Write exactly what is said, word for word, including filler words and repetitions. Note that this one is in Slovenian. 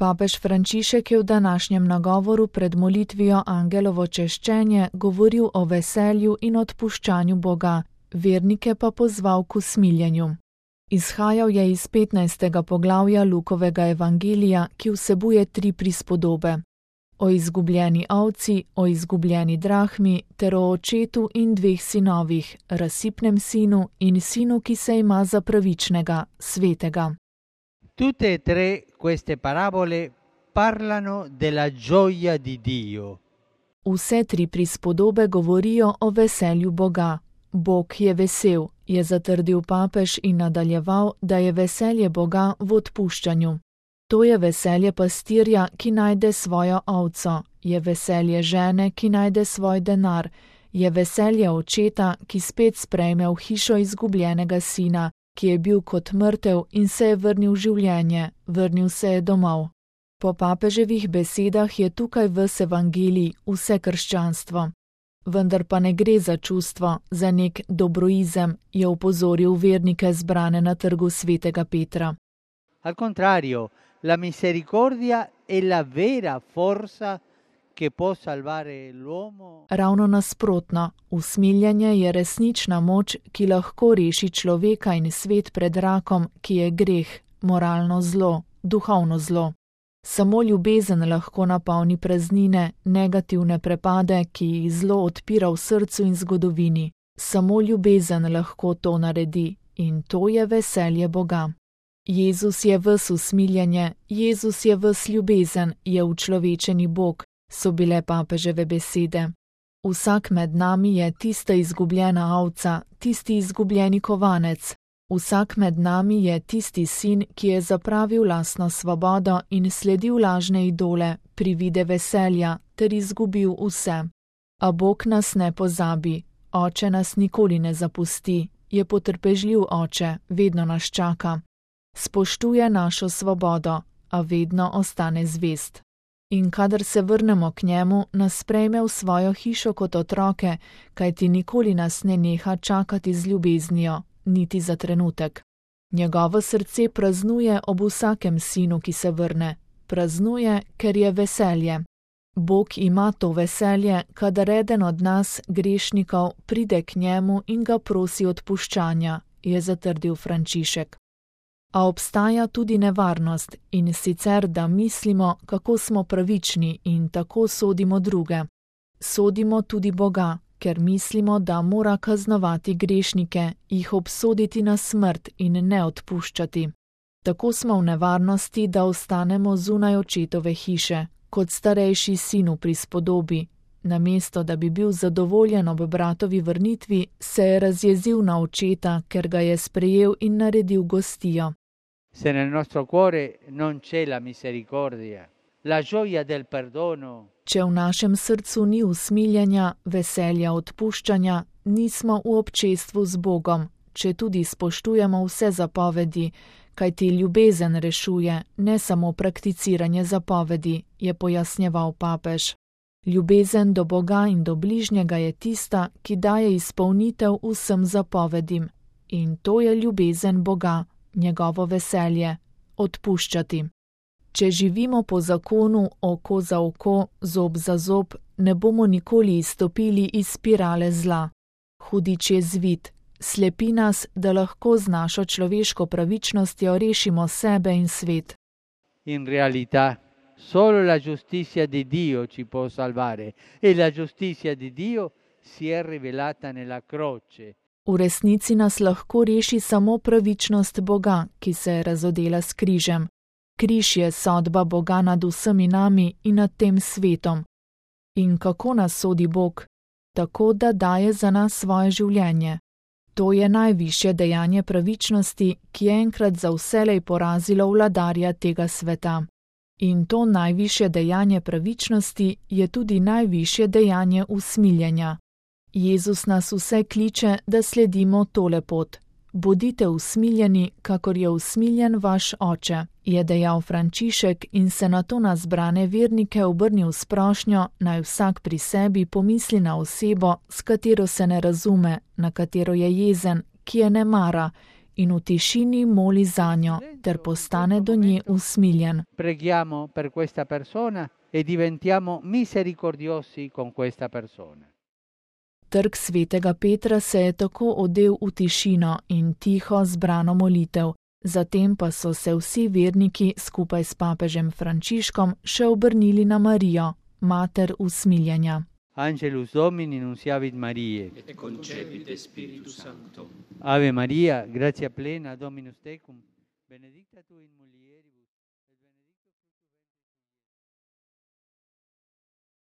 Papež Frančišek je v današnjem nagovoru pred molitvijo Angelovo češčenje govoril o veselju in odpuščanju Boga, vernike pa pozval k usmiljenju. Izhajal je iz petnajstega poglavja Lukovega evangelija, ki vsebuje tri prispodobe. O izgubljeni ovci, o izgubljeni drahmi ter o očetu in dveh sinovih, razsipnem sinu in sinu, ki se ima za pravičnega, svetega. Tutte e tre queste parabole parlano della gioia di Dio. Vse tri prispodobe govorijo o veselju Boga. Bog je vesel, je zatrdil papež in nadaljeval, da je veselje Boga v odpuščanju. To je veselje pastirja, ki najde svojo ovco, je veselje žene, ki najde svoj denar, je veselje očeta, ki spet sprejme v hišo izgubljenega sina, ki je bil kot mrtev in se je vrnil v življenje, vrnil se je domov. Po papeževih besedah je tukaj ves evangelij, vse krščanstvo. Vendar pa ne gre za čustvo, za nek dobroizem, je opozoril vernike zbrane na trgu svetega Petra. Al contrario, la misericordia è la vera forza che può salvare l'uomo. Ravno nasprotno, usmiljenje je resnična moč, ki lahko reši človeka in svet pred rakom, ki je greh, moralno zlo, duhovno zlo. Samo ljubezen lahko napolni praznine, negativne prepade, ki jih zlo odpira v srcu in zgodovini. Samo ljubezen lahko to naredi in to je veselje Boga. Jezus je ves usmiljenje, Jezus je ves ljubezen, je učlovečeni Bog, so bile papeževe besede. Vsak med nami je tista izgubljena ovca, tisti izgubljeni kovanec. Vsak med nami je tisti sin, ki je zapravil lastno svobodo in sledil lažne idole, privide veselja, ter izgubil vse. A Bog nas ne pozabi, Oče nas nikoli ne zapusti, je potrpežljiv Oče, vedno nas čaka. Spoštuje našo svobodo, a vedno ostane zvest. In kadar se vrnemo k njemu, nas sprejme v svojo hišo kot otroke, kajti nikoli nas ne neha čakati z ljubeznijo, niti za trenutek. Njegovo srce praznuje ob vsakem sinu, ki se vrne. Praznuje, ker je veselje. Bog ima to veselje, kadar eden od nas, grešnikov, pride k njemu in ga prosi odpuščanja, je zatrdil Frančišek. A obstaja tudi nevarnost, in sicer, da mislimo, kako smo pravični in tako sodimo druge. Sodimo tudi Boga, ker mislimo, da mora kaznovati grešnike, jih obsoditi na smrt in ne odpuščati. Tako smo v nevarnosti, da ostanemo zunaj očetove hiše, kot starejši sin v prispodobi. Namesto da bi bil zadovoljen ob bratovi vrnitvi, se je razjezil na očeta, ker ga je sprejel in naredil gostijo. Se nel nostro cuore non c'è la misericordia, la gioia del perdono. Če v našem srcu ni usmiljenja, veselja odpuščanja, nismo v občestvu z Bogom, če tudi spoštujemo vse zapovedi, kajti ljubezen rešuje, ne samo prakticiranje zapovedi, je pojasnjeval papež. Ljubezen do Boga in do bližnjega je tista, ki daje izpolnitev vsem zapovedim. In to je ljubezen Boga, njegovo veselje, odpuščati. Če živimo po zakonu oko za oko, zob za zob, ne bomo nikoli izstopili iz spirale zla. Hudič je zvit, slepi nas, da lahko z našo človeško pravičnostjo rešimo sebe in svet. In realtà, solo la giustizia di Dio ci può salvare e la giustizia di Dio si è rivelata nella croce. V resnici nas lahko reši samo pravičnost Boga, ki se je razodela s križem. Križ je sodba Boga nad vsemi nami in nad tem svetom. In kako nas sodi Bog? Tako, da daje za nas svoje življenje. To je najvišje dejanje pravičnosti, ki je enkrat za vselej porazilo vladarja tega sveta. In to najvišje dejanje pravičnosti je tudi najvišje dejanje usmiljenja. Jezus nas vse kliče, da sledimo tole pot. Bodite usmiljeni, kakor je usmiljen vaš Oče, je dejal Frančišek in se nato na zbrane vernike obrnil s prošnjo, naj vsak pri sebi pomisli na osebo, s katero se ne razume, na katero je jezen, ki je ne mara, in v tišini moli zanjo ter postane do nje usmiljen. Preghiamo per questa persona e diventiamo misericordiosi con questa persona. Trg svetega Petra se je tako odel v tišino in tiho zbrano molitev. Zatem pa so se vsi verniki skupaj s papežem Frančiškom še obrnili na Marijo, mater usmiljenja. Angelus Domini nunciavit Mariae. Et concepit Spiritus Sancto. Ave Maria, gratia plena, Dominus tecum, benedicta tu in mulieribus